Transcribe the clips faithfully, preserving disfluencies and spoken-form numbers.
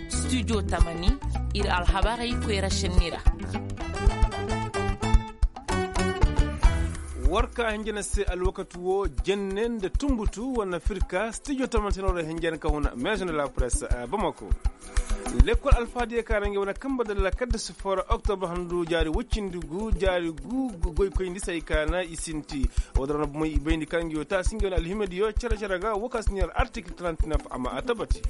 Studio tamani, ir alhabarey koyra šenni ra. War ka hinjana se alwakati wo, jenne nda tunbutu wane firka studio tamani se no ra hinjana ka huna maison de la presse, bamako. Lekkol alfaadiya ka ra ngey wane kamba dalla kadda si foo ra oktobra handu jaari woy cindi gu jaari gu goykoyndi se hay ka na i sinti. Woo din ra na bomey i bayndi ka ngey wo taasi ngey wane alhimadiyo cere-cere ga woo ka si neera artikil trente-neuf a ma a tabati.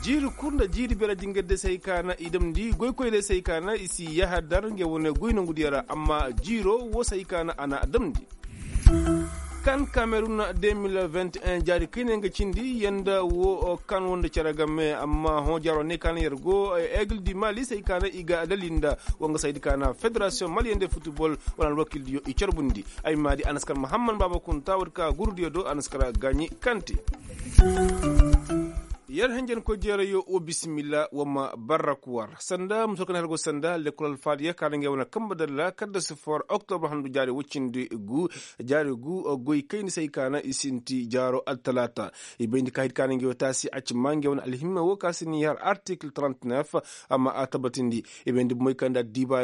Jiiri kul nda jiiri beera jingardiyo se hay ka na i damndi goykoydiyo se hay ka na i si yahadar ngey wane goy nongudiyo ra amma jiiro woo se hay ka na a na a damndi. Kan kamerun deux mille vingt et un jaari kayna nga cindi yanda wo kan woo nda cere game amma hõ jaaro ne ka na yer go, aigle du mali se hay ka na i ga dalil nda woo nga se hay di ka na federasiyoŋ maliyende futubol wala alwakildiyo i carbundi. Ay ma di a na si kar mahamman baaba kunta woo di ka gurudiyo do a na si kar gaaɲi kante. Yer henjenkoy jeerayo woo bisimilla woo ma barrak war sanda muso kaŋ har go sanda lekkol alfaadiya ka na ngey wane kamba dalla kadda si foo ra oktobra handu jaari woy cindi gu jaari gu goy kayndi se hay ka na i sinti jaaro altalaata. I bayndi ka hay di ka na ngey wo taasi a ci ma ngey wane alhimma woo ka si ni har artikil trente-neuf a ma a tabatindi. I bayndi bomey kaŋ nda addiiba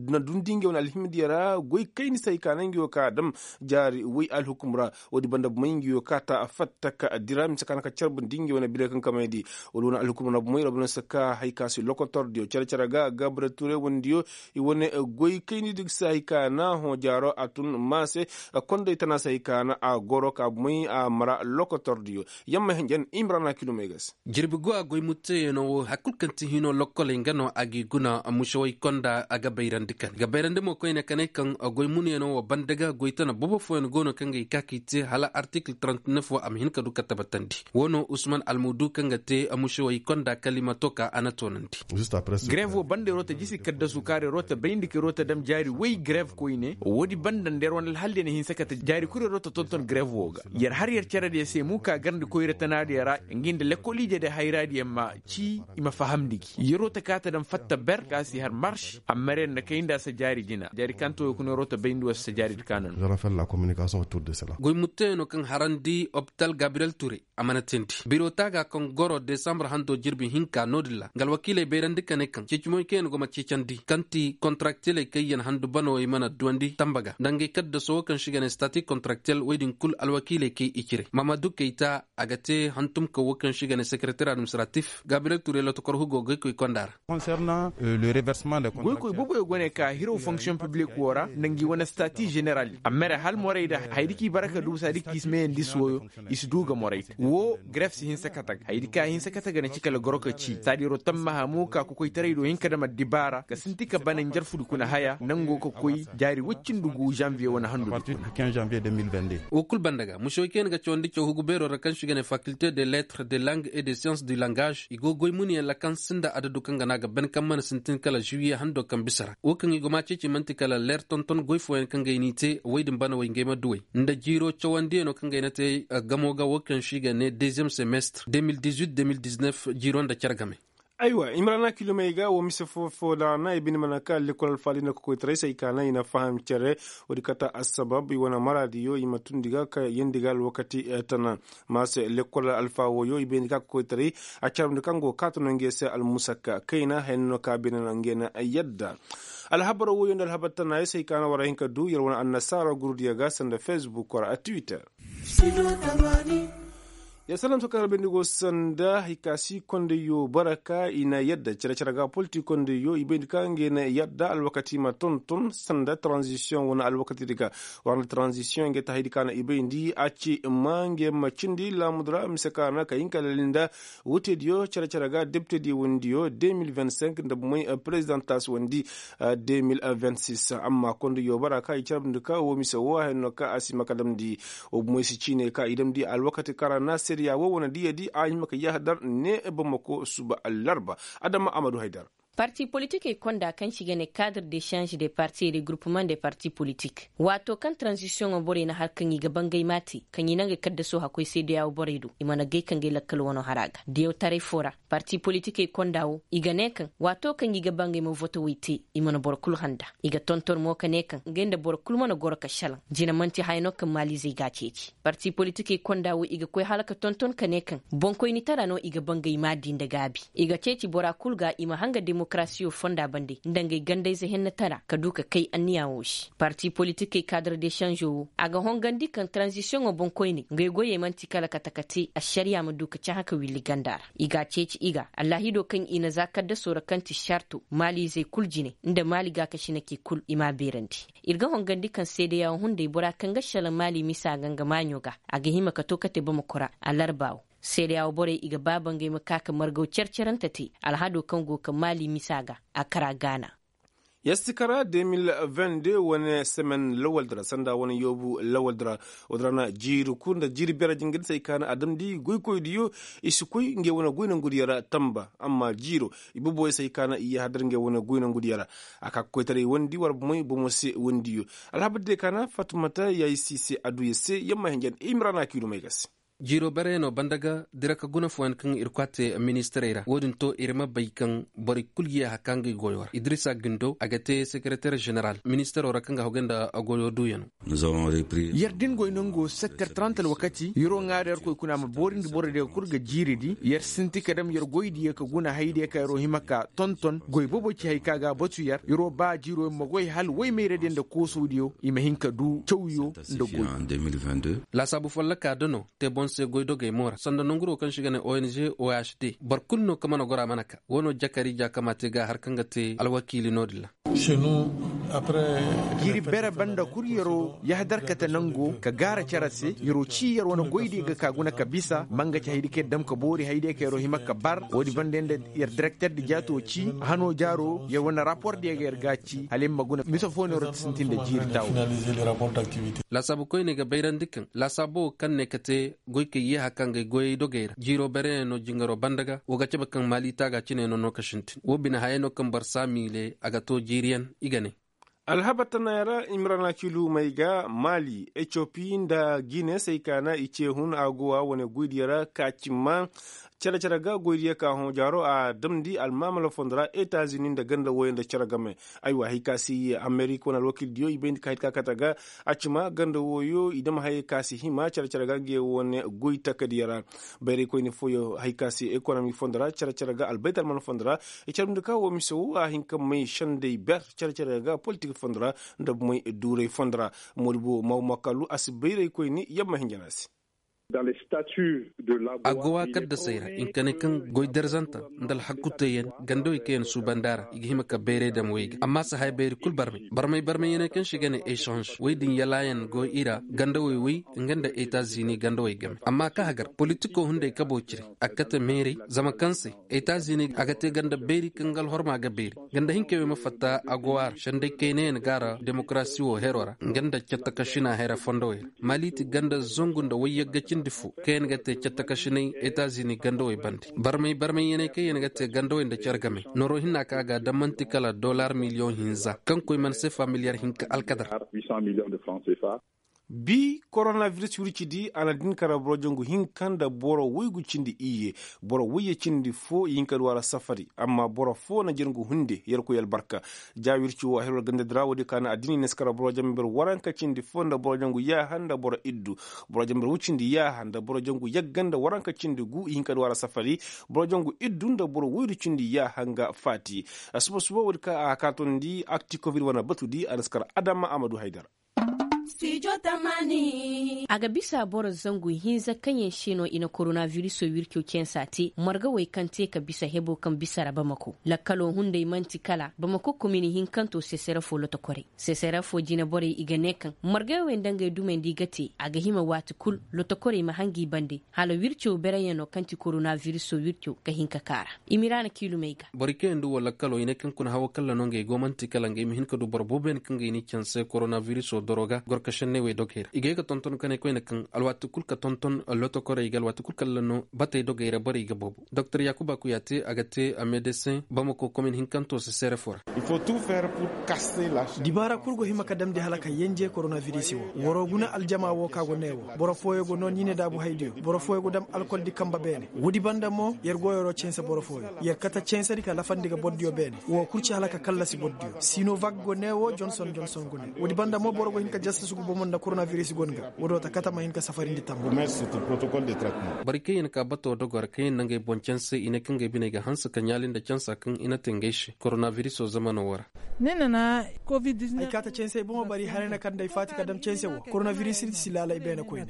na dundi ngey wane alhimma diya ra goy kayndi se hay ka na ngey wo ka a dam jaari woy alhukum ra. Woodi banda bomey ngi yo ka ta fatta ka dira mise ka na ka carbundi ngi wane bine kaŋ kamay di. Wala wane alhukum na bomey ra bana se ka hay ka si lokotordiyo care-care ga gabre ture wandiyo i wane goy kayni di ga se hay ka na hõ jaaro a tun ma se. Konday tana se hay ka na a goro ka bomey a mara lokotordiyo yamma hinjan imrana kilomay ga se. Jirbi go a goy mutteyaŋo wo hari kulu kaŋ ti hino lokkoley nga no a g'i guna. Musewey konda a ga bayrandi kane ga bayrandi mo koyne kanay kaŋ goy munyaŋo wo banda ga goy tana bobo fooyaŋ go no kaŋ ga i ka k'i te hala artikil trente-neuf wo a ma hin ka du ka tabbatandi. Wo no usman almudu kaŋ ga te musewey konda kalimato ka a na toonandi. Grev wo banda yer wo ta jisi kaddasu kaara yer wo ta bayndi ka yer wo ta dam jaari woy grev koyne woodi banda nda yer wane alhaldiyo na hinsa kate jaari kul yer wo ta tonton grev wo ga. Yer har yer caradiyo se mu ka garndi koyra tanaadiyo ra ngi nda lekkoliije de hayraadiyo ma ci i ma fahamndi gi yeroo ta kaa ta daŋ fatta ber ka si har marš. Amma yer na kay nda a si jaari jina jaari kaŋ ta wo kuna yeroo ta bay nda war si jaari di kaana no. Goy mutteyaŋo kaŋ harandi opital gabriyel ture a mana teendi biro taaga kaŋ goro desambur hando jirbi hinka no-din ra nga alwakiiley bayrandi ka ne kaŋ ceecimoy kaŋ yaŋ go ma ceecandi kaŋ ti kontaraktiyeley kaŋ yaŋ handu banawey mana duwandi tamba ga nda ngey kaddaso wo kaŋ se i ga ne stati kontaraktiyel woy din kul alwakiiley kay i cire mamadu kayta. A ga te hantumka wo kaŋ se i ga ne sekereter administratif gabriyel ture lotokor hugo goykoy konda ra. Goykoy booboyo go ne ka hiraw fonksiyoŋ piblik wo ra nda ngi wane stati ženeral amma yer hal morey nda hayadi kaŋ i bara ka duusa di kaŋ i si meeyandi suwoyo i si du ga morey te wo gref si hinsa kate ga hayadi kaŋ a hinsa kate ga na ci kala goro ka ci saadi yeroo tammaha mo ka kokoytaray do hin ka dam addibaara ka sinti ka bana njarfudi kuna haya nangoo ka koy jaari woy cindi gu žanviye wane handudi kuna. Wo kul banda ga mušewey kaŋ yaŋ ga cawandi caw hugu beeroo ra kaŋ se i ga ne fakilte de letre de lang et de science du langage i go goy munuyaŋ ra kaŋ sinda adadu kaŋ ga no a ga ban kaŋ mana sintin kala žuwiye hando kaŋ bisa ra wo kaŋ i go ma ceeci man'ti kala leer tonton goy fooyaŋ kaŋ ga ay n'i te woy din banawey ngey ma duw'ey nda jiiroo cawandiyanoo kaŋ ga ay na te gamo ga wo kaŋ se i ga ne deziyem semestre deux mille dix-huit deux mille dix-neuf jiiroo nda care game. Aywa i ma ra na kilomey ga wo mise foo foo da na i bine mana ka lekkol alfaadi nda kokoytaray se i ka na i na faham cere. Woodi kate assabab i wane maraadiyo i ma tundi ga ka yeendi ga alwakati tana. Ma se lekkol alfa wooyo i bayndi ka kokoytaray a carabndi kaŋ go ga kaata no ngey se almusakka kayna haya no ka bine no ngey na yadda. Alhabar wooyo nda alhabar tana ya se i ka na war a hin ka du yer wane annasaara gurudiyo ga sanda fesbuk ra a twitter. Ya salam sokar bayndi go sanda hay ka si kondeyo baraka i na yadda cere-cere ga polti kondeyo i bayndi ka ngey na yadda alwakati ma tonton sanda tranzisiyoŋ wane alwakati di ga. War nda tranzisiyoŋ ngey ta haydi ka na i bayndi a ci ma ngey ma cindi laamudu ra mise ka na ka hin ka lali nda wutediyo cere-cere ga deptediyo wandiyo deux mille vingt-cinq nda bumey prezidantas wandi deux mille vingt-six amma kondeyo baraka i carabndi ka wo mise wo haya no ka a si ma ka damndi. Wa bumoy si ciiney ka i damndi alwakati kara na seriya wo wane diyadi a hima ka yahadar ne bamako suba larba. Adama amadu haydar. Parti politikey konda kaŋ se i ga ne kaadr de sanz de parti e de gurupman de parti politik, waato kaŋ taranzisiyoŋo borey na har kaŋ i ga bangay maati kaŋ i na ngey kaddasoo hakkoy seedeyawo borey do i mana gay ka ngey lakkal wano har a ga diyaw taray foo ra. Parti politikey konda wo i ga ne kaŋ waato kaŋ i ga bangay ma votowey te, i mana boro kul handa. I ga tonton mo ka ne kaŋ ngey nda boro kul mana goro ka salaŋ. Jina man'ti haya no kaŋ maaliizey g'a ceeci. Parti politikey konda wo i ga koy hala ka tonton ka ne kaŋ boŋkoynitara no i ga bangay maadi nda gaabi. I ga ceeci bora kul ga i ma hanga demokarasiyo fonda bande nda ngey gandayze hennatara ka du ka kay anniya wo se. Parti politikey kaadar de sanzo wo a ga hongandi kaŋ taranzisiyoŋo boŋkoyney ngey goyey man'ti kala kate ka te ašariya ma du ka cahã ka willi ganda ra. I g'a ceeci i ga allaahido kaŋ i na za kaddasoo ra kaŋ ti sarto maaliizey kul jine nda maali gaakasinakey kul i m'a beerandi. Ir ga hongandi kaŋ seedeyawo hunday bora kaŋ ga selaŋ maali misa ga nga maaɲo ga a ga hima ka to kate bamako ra. Alarba wo seedeyawo borey i ga baaba ngey ma ka ka margaw care-carante te alhado kaŋ go ka maali misa ga a kara gaana. Yastikara de mil vende wane semen lawaldi ra sanda wane yoobu lawaldi ra. Wala ra na jiiri kul nda jiiri beera jingadisey ka na a damndi goykoydiyo i si koy ngey wane goy nongudiyo ra tamba amma jiiro i boboyey se hay ka na i yahadar ngey wane goy nongudiyo ra. A ka ka koytaray wandi war bomoy bomo se wandiyo. Alhabar diyo ka na fatumata yayi si se aduya se yamma hinjan imrana kiilumey ga se. Jiiro bereyaŋo banda ga dira ka guna fooyaŋ kaŋ ir kwaate ministirey ra wo-din to ir ma bay kaŋ borey kul ga yaaha ka ngey goyo ra idirisa gindo a ga te sekereter ženeral ministiro ra kaŋ ga hagu nda goyo duuyano. Yer din goy nango setter trant alwakati yeroo ŋaari yer koy kuna ma boorindi borodiyo kul ga jiiridi yer sinti ka dam yer goydiyo ka guna haydiyo ka yeroo hima ka tonton goy bobo ci hay ka ga a batu yer yeroo ba jiiroo ma goy hala woy mayradiyo nda koosodiyo i ma hin ka du cawyo nda goy. Laasaabu follokaa da no te boŋ se goydogey mo ra sanda nonguroo kaŋ se i ga ne ong ohd boro kul no kaŋ mana goro a mana ka wo no jakari ja kaŋ ma te ga har kaŋ ga te alwakiili no-din ra. Jiiri bere banda kul yeroo yahadar kate nango ka gaara cere se yeroo cii yer wane goydiyo ga ka guna ka bisa ma nga ci haydiyo kaŋ yer dam ka boori haydiyo kaŋ yeroo hima ka bar wo-din banda yer nda yer direkter di jaatoo cii hanoo jaaroo yer wane rapordiyo ga yer ga a cii hala yer ma guna mise foo no yeroo ti sintin nda jiiri taawo. Laasaabu koyney ga bayrandi kaŋ laasaabo wo kaŋ ne ka te goykey yeeha kaŋ ga ay goyey dogey ra jiiroo bereyaŋo jingaroo banda ga wo ga cabe kaŋ maali taaga cine no no ka sintin wo bine hayey no kaŋ boro saamiile a ga too jiiriyaŋ i ga ne. Alhabar tanayaŋ ra imrana kiilumey ga maali etiyopi nda gine se ay kaana i ce hun a go a wane goydiyo ra ka cimma cere-cere ga goydiyo ka hõ jaaro a damndi almaamala fondo ra etazini nda ganda wooyo nda cere game. Aywa hay ka se amerika wane alwakiildiyo i bayndi ka hay ka kate ga a cima ganda wooyo i dam hayey ka se hima cere-cere ga ngey wane goy takadiyo ra. Bayraykoyni fooyo hay ka se ekonomi fondo ra cere-cere ga albaytalman fondo ra i carbundi ka woo mise woo a hin ka may sendey ber cere-cere ga politik fondo ra nda may duuray fondo ra. Moodibo maw makalu a si bayraykoyni yamma hinja no a se. Agowa kaddasey ra i nka ne kaŋ goy darzanta nda alhakuteyaŋ gandawey kaŋ yaŋ suubandi a ra i ga hima ka bayray dam wey ga amma si haya bayri kul barmay barmay barmayyaney kaŋ se i ga ne echange wey din yalaayaŋ go i ra gandawey wey nga nda etazini gandawey game amma ka hagar politiko hunday kabo cire a ga kate meeray zama kaŋ se etazini a ga te ganda bayri kaŋ ga alhorma ga bayri ganda hinkey wey ma fatta agowa ra sendey kaynayaŋ ga a ra demokarasi wo hero ra nga nda cattakasina hera fondowey ra. Mali ti ganda zangu nda wayyagga cindi fo kaŋ yaŋ ga te cattakasinay etazini gandawey bande barmay barmayyaney kaŋ yaŋ ga te gandawey nda care game noroo hinna kaŋ a ga a damanti kala dollar miliyoŋ hinza kaŋ koy mana seefa miliyar hinka alkadar. Bi koronabiris wircidi a na din kara boro jangu hinka nda boro woygu cindi iyye. Boro woyye cindi fo i hin ka du a ra safari amma boro fo na jangu hunde yerkoy albarka. Ja wirci wo a hirwar gandadi ra woodi ka na addini ne si kara boro jamber waranka cindi fo nda boro jangu yaaha nda boro iddu. Boro jamber wucindi yaaha nda boro jangu yagga nda waranka cindi gu i hin ka du a ra safari. Boro jangu iddu nda boro woydu cindi yaaha nga faati. Suba suba woodi ka a kaatondi akti covid wane batudi a na si kara adama a ma du haydara. A ga bisa boro zangu hinza kaŋ yaŋ se no i na koronabiriso wirco cansa te marga wey kaŋ te ka bisa hebo kaŋ bisa ra bamako lakkalo hunday man'ti kala bamako komini hinkanto sesere fo lotokorey sesere fo jine borey i ga ne kaŋ margey wey nda ngey dumey nda i ga te a ga hima waati kul lotokorey ma hangi bande hala wirco bereyaŋo kaŋ ti koronabiriso wirco ga hin ka kaara. I ma i ra na kiilumey ga. Borey kaŋ yaŋ du wala kalo i ne kaŋ kuna hawo kalla no ngey go man'ti kala ngey ma hin ka du boro boobo yaŋ kaŋ ga i n'i canse koronabiriso doro ga. Ka senney wey dogey ra i ga ye ga tonton ka ne koyne kaŋ alwaati kul ka tonton lotokorey ga alwaati kul kala no batey dogey ra borey ga boobo doktor yaakuba kuya te a ga te a medesin bamako komin hinkanto se seere fo ra. Dibaara kul go hima ka damndi hala ka yenje koronavirisi wo. Waroo guna aljama wo ka go ne wo. Boro fooyo go noo niine daabu haydiyo boro fooyo go dam alkol di kamba beene. Woodi banda mo yer go yeroo cense boro fooyo yer kate censedi ka lafandi ga bordiyo beene. Woo kul ci hala ka kallasi bordiyo sinovak go ne wo jonson jonson go ne woodi banda mo boro go hin ka jastasu ga bomo nda koronavirus go nga woodoo ta kate ma hin ka safarindi tamma. Borey kaŋ yer na ka batoo dogoo ra kaŋ yer na ngey boŋ canse i ne kaŋ ngey biney ga hanse ka ɲaali nda cansa kaŋ i na te ngey se koronavirisoo zamanoo woo ra. Ay kaate cansey bomo bari haray na kaŋ nda ay faati ka dam canse woo koronaviris ir si laalay beene koyne.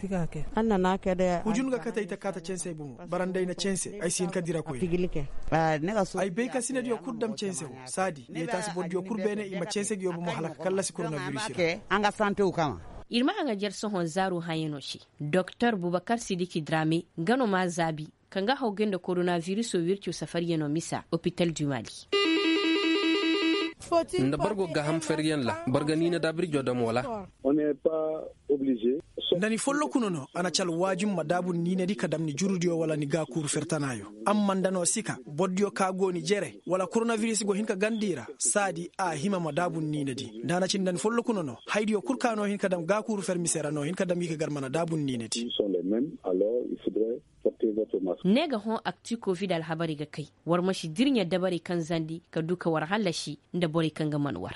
Hujun ga kate ay ta kaate cansey bomo bara nda ay na canse ay si hin ka dira koyne. Ay bay ka sinadiyo kul dam canse woo saadi yee taasi bordiyo kul beene i ma canse nguyo bomo hala ka kallasi koronaviris ra. Ir ma haŋajer sohõ zaaru hayanoo se. Doktor bubakar sidiki drame nga no m'a zaabi ka nga haw gay nda koronavirisoo wirco safaryanoo misa opital du mali. Nda boro go gaaham feryaŋ ra boro ga niina daabirjoo dam wala? Nda ni folloku no no a na ci alwaajum ma daabu ni niinadi ka dam ni jurudiyo wala ni gaakuuru fertanaayo. Amma nda no si ka bordiyo ka go ni jere wala koronaviris go hin ka gandi ra saadi a hima ma daabu ni niinadi. Nda a na ci nda ni folloku no no haydiyo kul ka no hin ka dam gaakuuru fer mise ra no hin ka dam i ka gar mana daabu ni niinadi. Ne ga hõ akti kovid alhabarey ga kay war ma si dirɲa dabarey kaŋ zandi ka du ka war hallasi nda borey kaŋ ga man war.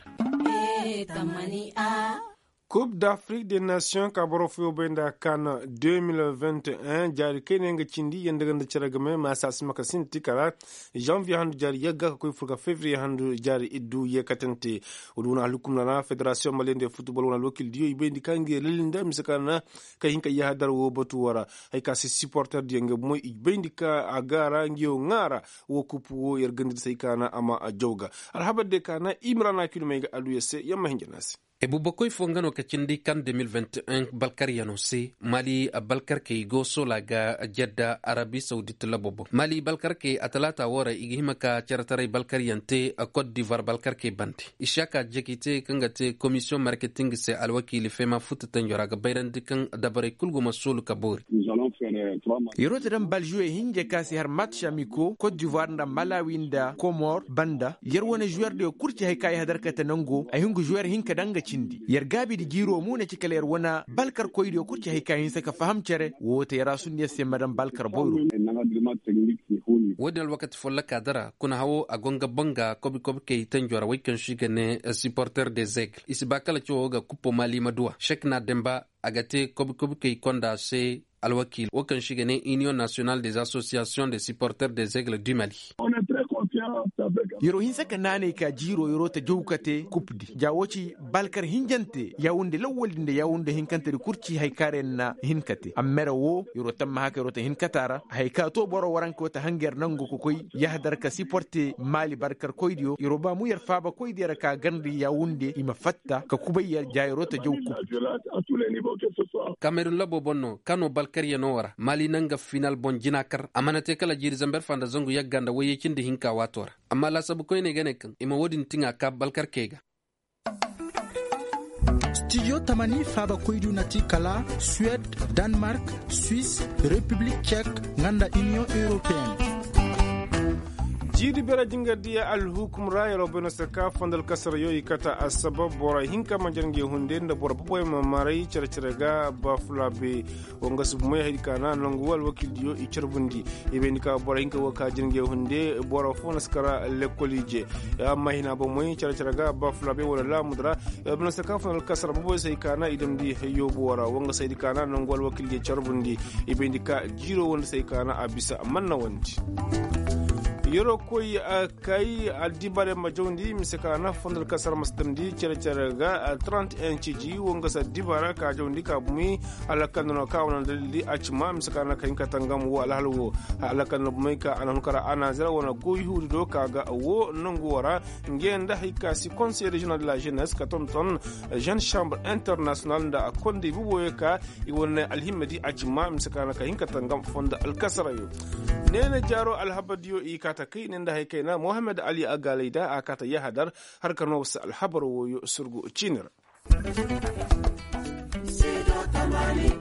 Kub d'afrik de nation ka boro fooyo bay nda kan deux mille vingt et un jaari kayna yaŋ ga cindi yanda ga nda cere game ma saasi ma ka sinti kala janvier handu jaari yagga ka koy fur ka fevrier handu jaari iddu yeekatante. Wala wane alhukumna ra federasiyoŋ maliyante futbol wane alwakildiyo i bayndi ka ngi lalli nda mise ka na ka hin ka yahadar wo batu wo ra. Hay ka se siporterdiyo nga bomo i bayndi ka a ga ra ngiyo ŋaara wo kupu wo yer gandida se hay ka na a ma jaw ga alhabar de ka na imrana kilomey ga aluya se yer ma hinja na se. Bubakoy fo nga no ka cindi kan deux mille vingt et un balkaryano se mali balkarkey go soola ga jedda arabi sawdit labo boŋ mali balkarkey a talaata woo ra i ga hima ka ceretaray balkaryaŋ te kot divoir balkarkey bande. Isiyaka jeki te kaŋ ga te komisiyoŋ marketing se alwakiili feema futtatanjo ra ga bayrandi kaŋ dabarey kul go ma soolu ka boori. Yeroo ta daŋ baljuwey hinja ka si har match amiko kot divoir nda malawi nda komor banda yer wane juwerdiyo kul ci hay ka yahadar kate nango ay hungu juwer hinka daŋ ga cindi yer gaabi nda jiiroo mo na ci kala yer wane balkarkoydiyo kul ci hay ka hinsa ka faham cere woo te yer a sunna yer se ma daŋ balkar boyro. Woodin alwakati folloka dara kuna hawo a go nga banga kobi kobi kay tanjo ra way kaŋ si ga ne siporter de zegle i si ba kala cawo ga kuppo maali ma duwa sek na demba a ga te kobi kobi kay konda se. Alwakiil wo kaŋ si ga ne iniyoŋ nasiyonal de zasosiyasiyoŋ de siporter de zegle du mali. Yeroo hinsa ka naanay ka jiiroo yeroo ta jaw ka te kupdi ja woo ci balkar hinjante yawunde lawwaldi nda yawunde hinkantedi kul ci hay kaŋ ra yer na hin ka te ammere woo yeroo tamma haka yeroo ta hin ka taara hay ka too boro waranka woo ta hanga yer nangu ka koy yahadar ka siporte maali barkarkoydiyo yeroo ba mu yer faabakoydiyo ra ka garndi yawunde i ma fatta ka kubay yer ja yeroo ta jaw kupdi. Kamerun labo boŋ no kano balkaryanoo ra maali na nga final boŋ jina kar a mana te kala jiiri zamber fa nda zangu yagga nda wayye cindi hinka waatoo ra. Amma laasabu koyney ga ne kaŋ i ma woodin tiŋa ka balkarkey ga. Studio tamani faabakoydu na ti kala suwed, danmark, swis, repiblik cek nga nda iniyoŋ europeen. Jiiri bere jingardiya alhukum ra yeroo bay no se ka fondal kasarayo i kata assabab boro hinka ma jar ngey hunde nda boro boboy ma maray cere-cere ga bafulabe. Woo nga si bumey haydi ka na nangu woo alwakildiyo i carbundi i bayndi ka boro hinka woo ka jar ngey hunde boro foo na si kara lekkol ije. Amma hina bomey cere-cere ga bafulabe wala laamudu ra. Yeroo bay no se ka fondal kasara boboy se hay ka na i damndi hayyoo boo ra woo nga se haydi ka na nangu alwakildiyo carbundi i bayndi ka jiiroo woo nda se hay ka na a bisa manna wandi. Yeroo koy kay addibaarey ma jawndi mise ka na fondal kasara ma si damndi cere-cere ga trente et un ciji woo nga se addibaara ka jawndi ka bumi. Hala kala nda no ka wane dalili a ci ma mise ka na ka hin ka tangam woo alhala woo hala kala nda bomey ka a na hun kara anazira wane goy huudi do ka ga woo nangu woo ra. Ngey nda hay ka si konsey reziyonal de la jenes ka tonton jeune chambre internasiyonal nda a konda i boboyo ka i wane alhimmadi a ci ma mise ka na ka hin ka tangam fondo alkasarayo. Neene jaaroo alhabardiyo i kaa ta kay ne nda hay kayna mohammed ali agaalayda a kaa ta yahadar har ka noo war se alhabar wooyo surgu ciini ra. Studio tamaani.